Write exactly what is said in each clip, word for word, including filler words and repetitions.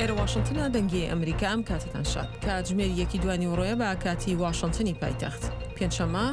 ئێرە واشنتنە، دەنگی ئەمریکا. ئەم کاتتان شاد. کاتژمێر یەکی دوانی وڕۆیە بە کاتی واشنتنی پایتەخت. پێنجشەممە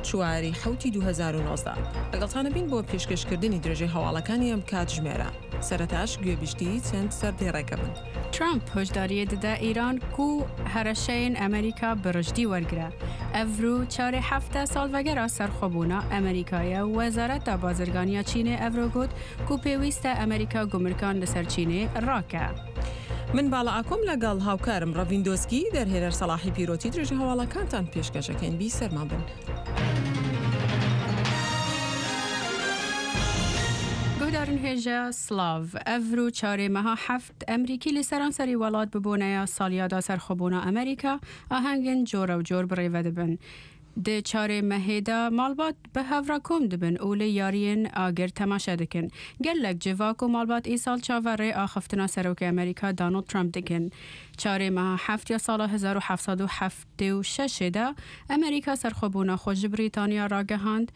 چواری حەوتی دوو هەزار و نۆزدە. لەگەڵتانە بین بۆ پێشکەشکردنی درێژەی هەواڵەکانی ئەم کاتژمێرە. سەرەتاش گوێبیستی چەند سەردێڕێکە بن. ترامپ هۆشداریە دەدا ئیران کو هەرەشەین ئەمریکا بەرژدی وەرگرە. ئەڤرو چارێ هەفتە ساڵڤەگەرا سەرخۆبوونا ئەمریکایە وەزارەتا بازرگانیا چینێ ئەڤرۆ گوت کو پێویستە ئەمریکا گومرکان لەسەر چینێ ڕاکە. من باڵا ئاکۆم لەگەڵ هاوکارم ڕەڤین دۆسکی دەرهێنەر سەڵاحی پیرۆتی درێژە هەواڵەکانتان پێشکەشەکەین. بی سەرمان بن. گۆدارن هێژە سلاv ئەڤرو چارێ مەها هەفت ئەمریکی لە سەرانسەری وڵات ببوونەیە ساڵیادا سەرخۆبوونا ئەمریکا ئاهەنگن جۆرە و جۆر بڕێوە دەبن. دێ چارێ مەهێدا ماڵبات بە هەڤرا کۆم دەبن و لە یاریên ئاگر تەماشا دەکەن. gelek civak û malbat îsal çaverê axiftina Serokê Amerîka Donald Trump dikin. Çarê meha heft ya sala hezar û heft sed û heftê û şeşê de Amerîka serxwebûna xwe ji Brîtanya ragihand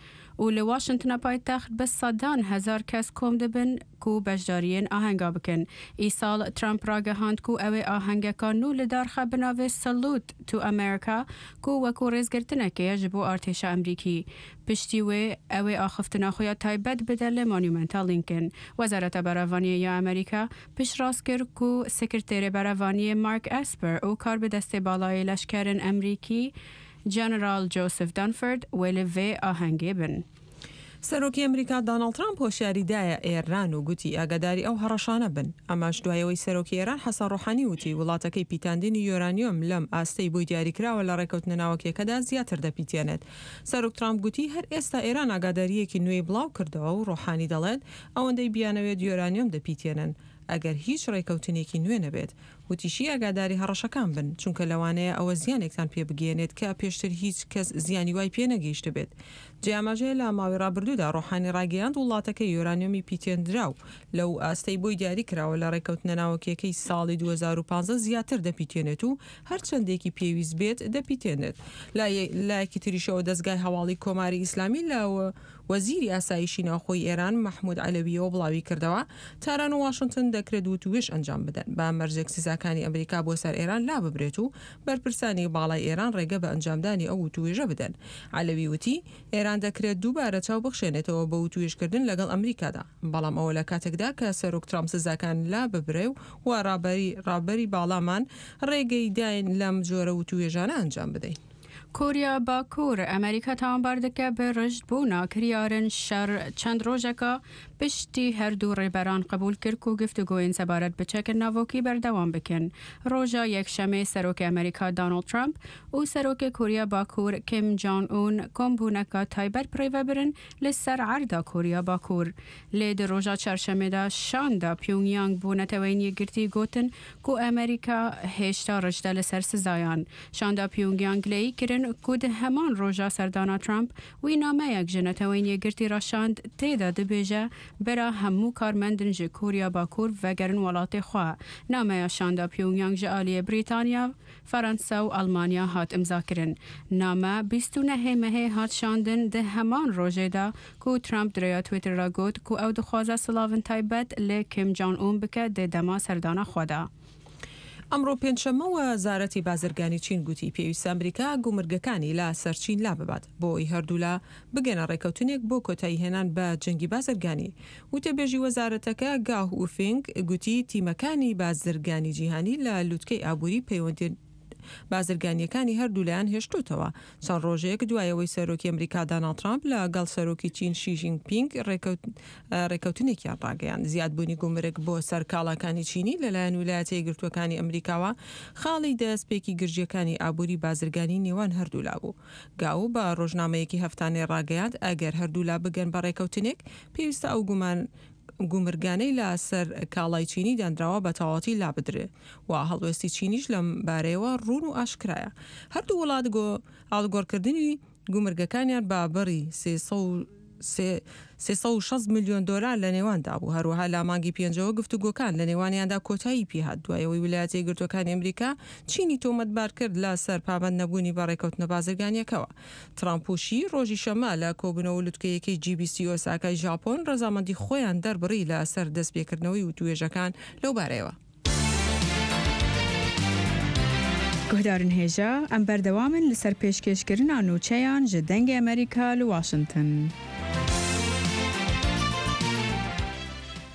û li Washingtona paytext bi sedan hezar kes kom dibin ku beşdariyên ahenga bikin. Îsal Trump ragihand ku ew ê ahengeka nû li darxe bi navê Salute to America ku wekû rêzgirtinekê ye ji bo artêşa Amerîkî. Piştî wê ew ê axiftina xwe ya taybet bide li Monumenta Lincoln. Wezareta Berevaniyê ya Amerîka piştrast kir ku Sekreterê Berevaniyê Mark Esper û karbidestê balayê leşkerên Amerîkî General Joseph Dunford wê li vê ahengê bin. سەرۆکی ئەمریکا داناڵد ترامپ هۆشیاری دایە ئێران و گوتی ئاگاداری ئەو هەڕەشانە بن. ئەمەش دوایەوەی سەرۆکی ئێران حەسەن ڕۆحانی وتی وڵاتەکەی پیتاندنی یۆرانیۆم لەم ئاستەی بۆی دیاریکراوە لە ڕێکەوتنە ناوەکیەکەدا زیاتر دەپیتێنێت. سەرۆک ترامپ گوتی هەر ئێستا ئێران ئاگاداریەکی نوێی بڵاو کردەوە و ڕۆحانی دەڵێت ئەوەندەی بیانەوێت یۆرانیۆم دەپیتێنن ئەگەر هیچ ڕێکەوتنێکی نوێ نەبێت. وتیشی ئاگاداری هەڕەشەکان بن چونکە لەوانەیە ئەوە زیانێکتان پێ بگەیەنێت کە پێشتر هیچ کەس زیانی وای پێ نەگەیشتە بێت. جیاماژەیە لە ماوەی ڕابردوودا ڕۆحانی ڕاگەیاند وڵاتەکەی یۆرانیۆمی پیتێندراو لەو ئاستەی بۆی دیاری کراوە لە ڕێکەوتنە ناوەکیەکەی ساڵی دوو هەزار و پازدە زیاتر دەپیتێنێت و هەرچەندێکی پێویست بێت دەپیتێنێت. لایەکی تریشەوە دەستگای هەواڵی کۆماری ئیسلامی لە وەزیری ئاسایشی ناوخۆی ئێران مەحمود عەلەویەوە بڵاوی کردەوە تاران و واشنگتن دەکرێت وتوێژ ئەنجام بدەن بە مەرجێک سزاکانی ئەمریکا بۆ سەر ئێران لا ببرێت و بەرپرسانی باڵای ئێران ڕێگە بە ئەنجامدانی ئەو وتوێژە بدەن. عەلەوی وتی ئێران دەکرێت دووبارە چاو بخشێنێتەوە بە وتوێژکردن لەگەڵ ئەمریکادا، بەڵام ئەوە لە کاتێکدا کە سەرۆک ترامپ سزاکان لا ببرێ و ڕابەری ڕابەری باڵامان ڕێگەی داین لەم جۆرە وتوێژانە ئەنجام بدەین. کۆریا باکوور ئەمریکا تاوانبار دەکە بە ڕژد بوونا کریارن شەڕ چەند ڕۆژەکە پشتی هەردوو ڕێبەران قبول کرد و گفتوگۆین سەبارەت بە چەکە ناوۆکی بەردەوام بکەن. ڕۆژە یەکشەمێ سەرۆکی ئەمریکا دانۆڵد ترامپ و سەرۆکی کۆریا باکوور کیم جۆن ئون کۆمبوونەکە تایبەت بڕێوەبرن لەسەر عەردا کۆریا باکوور. لێ di ڕۆژە چارشەمێدا شاندا پیونگیانگ بۆ نەتەوەی یەکگرتوو گوتن کو ئەمریکا هێشتا ڕژدە لەسەر سزایان. شاندا پیونگیانگ لێی کردن کو di هەمان ڕۆژە سەردانا ترامپ وی نامەیەک ji نەتەوەی یەکگرتوو ڕەشاند تێدا دەبێژە برا هەموو کارمەندن ji کۆریا باکوور vegerin welatê xwe. Nameya şanda Pyongyang ji aliyê Brîtanya, Feransa û Almanya hat imzakirin. Name bîst û nehê mehê hat şandin di heman rojê de ku Trump di rêya Twitter re got ku ew dixwaze silavên taybet li Kim Jong-un bike di dema serdana xwe de. ئەمڕۆ پێنجشەممە وەزارەتی بازرگانی چین گوتی پێویستە ئەمریکا گومرگەکانی لە سەر چین لا ببات بۆ ئەوەی هەردوولا بگەنە ڕێکەوتنێک بۆ کۆتاییهێنان بە جەنگی بازرگانی. وتەبێژی وەزارەتەکە گاو ئوفینگ گوتی تیمەکانی بازرگانی جیهانی لە لوتکەی ئابووری پەیوەندی بازرگانیەکانی هەردوو لایان هێشتوتەوە. چەند ڕۆژێک دوایەوەی سەرۆکی ئەمریکا داناڵد ترامپ لەگەڵ سەرۆکی چین شی جین پینگ ڕێکەوتنێکیان ڕاگەیاند. زیادبوونی گومرگ بۆ سەر کاڵاکانی چینی لەلایەن ویلایەتە یەکگرتووەکانی ئەمریکاوە خاڵی دەستپێکی گرژیەکانی ئابووری بازرگانی نێوان هەردوولا بوو. گاو بە ڕۆژنامەیەکی هەفتانەی ڕاگەیاند ئەگەر هەردوولا بگەن بە ڕێکەوتنێک پێویستە ئەو گومان گومرگانەی لە سەر کاڵای چینی دانراوە بە تەواوەتی لا بدرێ و هەڵوێستی چینیش لەم بارەیەوە ڕوون و ئاشکرایە. هەردوو وڵات ئاڵگۆڕکردنی گومرگەکانیان بە بڕی سێ سەد و شەست ملیۆن دۆلار لە نێواندا بوو. هەروەها لە مانگی پێنجەوە گفتوگۆکان لە نێوانیاندا کۆتایی پێهات دوایەوەی ویلایەتە یەکگرتووەکانی ئەمریکا چینی تۆمەتبار کرد لە سەر پابەند نەبوونی بە ڕێکەوتنە بازرگانیەکەوە. ترامپ و شی ڕۆژی شەممە لە کۆبوونەوە لوتکەیەکەی جی بیست ئۆساکای ژاپۆن ڕەزامەندی خۆیان دەربڕی لە سەر دەستپێکردنەوەی وتوێژەکان لەو بارەیەوە. Guhdarên hêja em berdewam in li ser pêşkêşkirina nûçeyan ji Dengê Amerîka li Washington.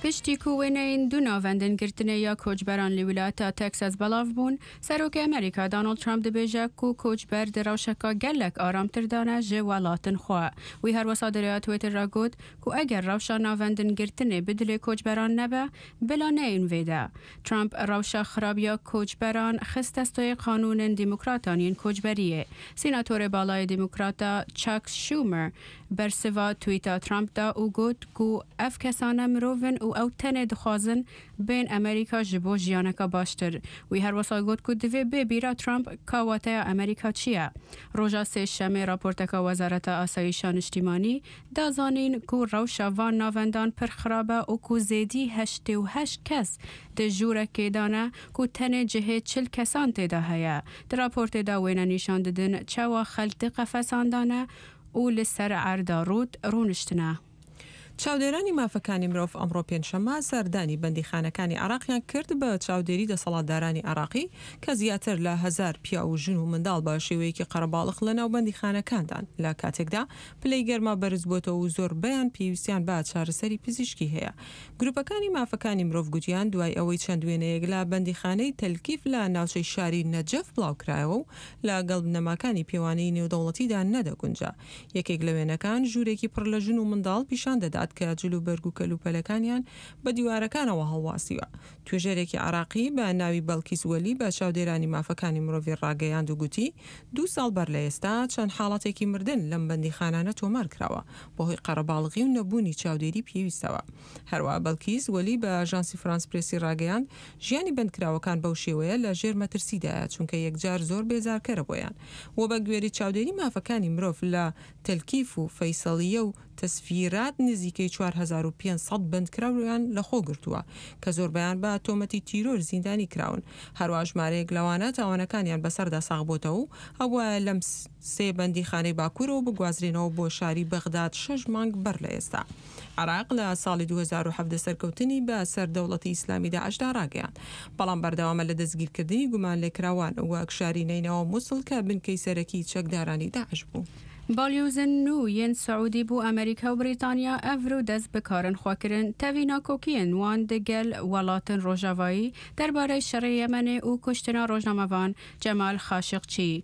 Piştî ku wêneyên du navendên girtinê ya koçberan li wîlayeta Texas belav bûn, Serokê Amerîka Donald Trump dibêje ku koçber di rewşeka gelek aramtir de ne ji welatên xwe. Wî herwisa di rêya Twitter re got ku eger rewşa navendên girtinê bi dilê koçberan nebe, bila neyên vê de. Trump rewşa xirab ya koçberan xist destê qanûnên Demokratan yên koçberiyê. Senatorê balayê Demokrata Chuck Schumer bersiva tweeta Trump da û got ku ev kesane mirovin û ew tenê dixwazin bên Amerîka ji bo jiyaneka baştir. Wî herwisa got ku divê bê bîra Trump ka wateya Amerîka çi ye. Roja sêşemê raporteka Wezareta Asayîşa Niştîmanî da zanîn ku rewşa van navendan pir xirab e û ku zêdî heştê û heşt kes di jûrekê de ne ku tenê cihê çil kesan tê de heye. Di raportê de wêne nîşan didin çawa xelk di qefesan de ne û li ser erda rût rûniştine. چاودێرانی مافەکانی مرۆڤ ئەمڕۆ پێنجشەممە سەردانی بەندیخانەکانی عێراقیان کرد بە چاودێری دەسەڵاتدارانی عێراقی کە زیاتر لە هەزار پیاو و ژن و منداڵ بە شێوەیەکی قەرەباڵغ لە ناو بەندیخانەکاندان لە کاتێکدا پلەی گەرما بەرز بۆتەوە و زۆربەیان پێویستیان بە چارەسەری پزیشکی هەیە. گروپەکانی مافەکانی مرۆڤ گوتیان دوای ئەوەی چەند وێنەیەک لە بەندیخانەی تەلکیف لە ناوچەی شاری نەجەف بڵاوکرایەوە و لەگەڵ بنەماکانی پێوانەی نێودەوڵەتیدا نەدەگونجا. یەکێک لە وێنەکان ژوورێکی پڕ لە ژن و منداڵ پیشان دەدات کە جلوبەرگ و کەلوپەلەکانیان بە دیوارەکانەوە هەڵواسیوە. توێژەرێکی عێراقی بە ناوی بەڵکیس وەلی بە چاودێرانی مافەکانی مرۆڤی ڕاگەیاند و گوتی دوو ساڵ بەر لە ئێستا چەند حاڵەتێکی مردن لەم بەندیخانانە تۆمار کراوە بەهۆی قەرەباڵغی و نەبوونی چاودێری پێویستەوە. هەروە بەڵکیس وەلی بە ئاژانسی فرانس پرێسی ڕاگەیاند ژیانی بەندکراوەکان بەو شێوەیە لە ژێر مەترسیدایە چونکە یەکجار زۆر بێزارکەرە بۆیان و بە گوێری چاودێری مافەکانی مرۆڤ لە تەلکیف و فەیسەڵیە و تەسفیرات نزیکەی چوار هەزار و پێنج سەد بەندکراویان لەخۆ گرتووە کە زۆربەیان بە تۆمەتی تیرۆر زیندانی کراون. هەروە ژمارەیەک لەوانە تاوانەکانیان بەسەردا ساغ بۆتەوە و ئەوە لەم سێ بەندیخانەی باکوورەوە بگوازرێنەوە بۆ شاری بەغداد شەش مانگ بەر لە ئێستا. عێراق لە ساڵی دوو هەزار و حەڤدە سەرکەوتنی بە سەر دەوڵەتی ئیسلامی داعشدا ڕاگەیاند، بەڵام بەردەوامە لە دەستگیرکردنی گومانلێکراوان وەک شاری نەینەوا و موسڵ کە بنکەی سەرەکی چەکدارانی داعش بوو. باڵیۆزن نوو yên Saûdî bû Amerîka û Brîtanya evro dest bi karên xwe kirin tevî nakokiyên wan digel welatên Rojavayî derbarê şerê Yemenê û kuştina rojnamevan Cemal Xaşiqçî.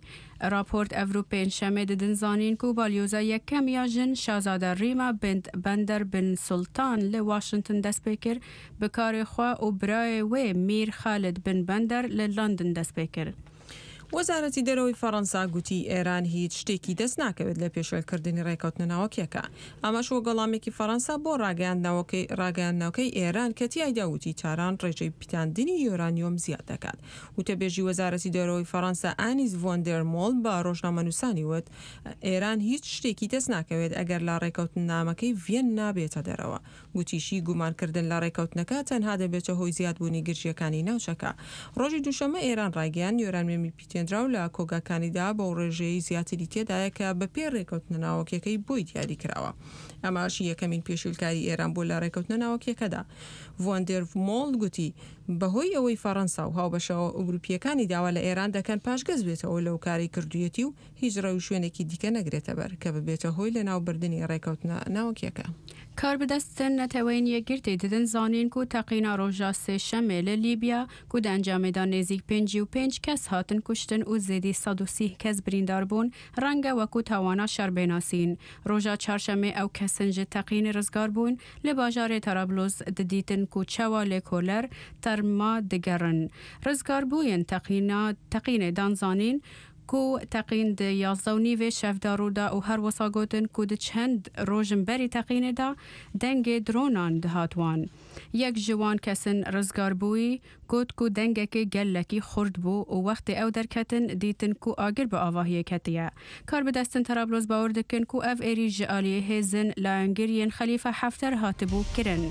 Raport evro pêncşemê didin zanîn ku balyoza yekem ya jin Şazade Rîma bint Bender bin Sultan li Washington dest pê kir bi karê xwe û birayê wê Mîr Xalid bin Bender li London dest pê kir. وەزارەتی دەرەوەی فەڕەنسا گوتی ئێران هیچ شتێکی دەست ناکەوێت لە پێشێلکردنی ڕێکەوتنە ناوەکیەکە. ئەمەش وەک وەڵامێکی فەڕەنسا بۆ ڕاگەیاندنەوەکەی ئێران کە تیایدا وتی تاران ڕێژەی پیتاندنی یۆرانیۆم زیاد دەکات. وتەبێژی وەزارەتی دەرەوەی فەڕەنسا ئانیس ڤۆندێرمۆڵ بە ڕۆژنامەنووسانی وت ئێران هیچ شتێکی دەست ناکەوێت ئەگەر لە ڕێکەوتنامەکەی ڤیەننا بێتە دەرەوە. گوتیشی گومانکردن لە ڕێکەوتنەکە تەنها دەبێتە هۆی زیادبوونی گرژیەکانی ناوچەکە. ڕۆژی دووشەممە ئێران ڕایگەیاند یۆرانیۆمی پیتێنراو لە کۆگاکانیدا بەو ڕێژەیەی زیاتری تێدایە کە بەپێی ڕێکەوتنە ناوەکیەکەی بۆی دیاری کراوە. ئەمەش یەکەمین پێشێلکاری ئێران بوو لە ڕێکەوتنە ناوەکیەکەدا. ڤۆندێرمۆڵ گوتی بەهۆی ئەوەی فەڕەنسا و هاوبەشە ئەوروپیەکانی داوا لە ئێران دەکەن پاشگەز بێتەوە لەو کارەی کردوویەتی و هیچ ڕێوشوێنێکی دیکە نەگرێتە بەر کە ببێتە هۆی لەناوبردنی ڕێکەوتنە ناوەکیەکە. کاربەدەستن نەتەوەیên یەکگرتî didin zanîn ku teqîna roja sêşemê li Lîbya ku di encamê de nêzîk pêncî û pênc kes hatin kuştin û zêdî sed û sî kes birîndar bûn, renge wekû tawana şer bênasîn. Roja çarşemê ew kesin ji teqînê rizgar bûn li bajarê Tarablus didîtin ku çawa lêkoler terma digerin. Rizgarbûyên teqîna teqînê dan zanîn ku teqîn di yazdeh û nîvê şevda rûda û her wisa gotin ku di çend rojin berî teqînê de dengê dronan dihat wan. Yek ji wan kesin rizgarbûyî got ku dengekê gelekî xurt bû û wextê ew derketin dîtin ku agir bi avahiyê ketiye. Karbidestin Tarablus bawer dikin ku ev êrîş ji aliyê hêzên layengiriyên Xelîfe Hefter hatibû kirin.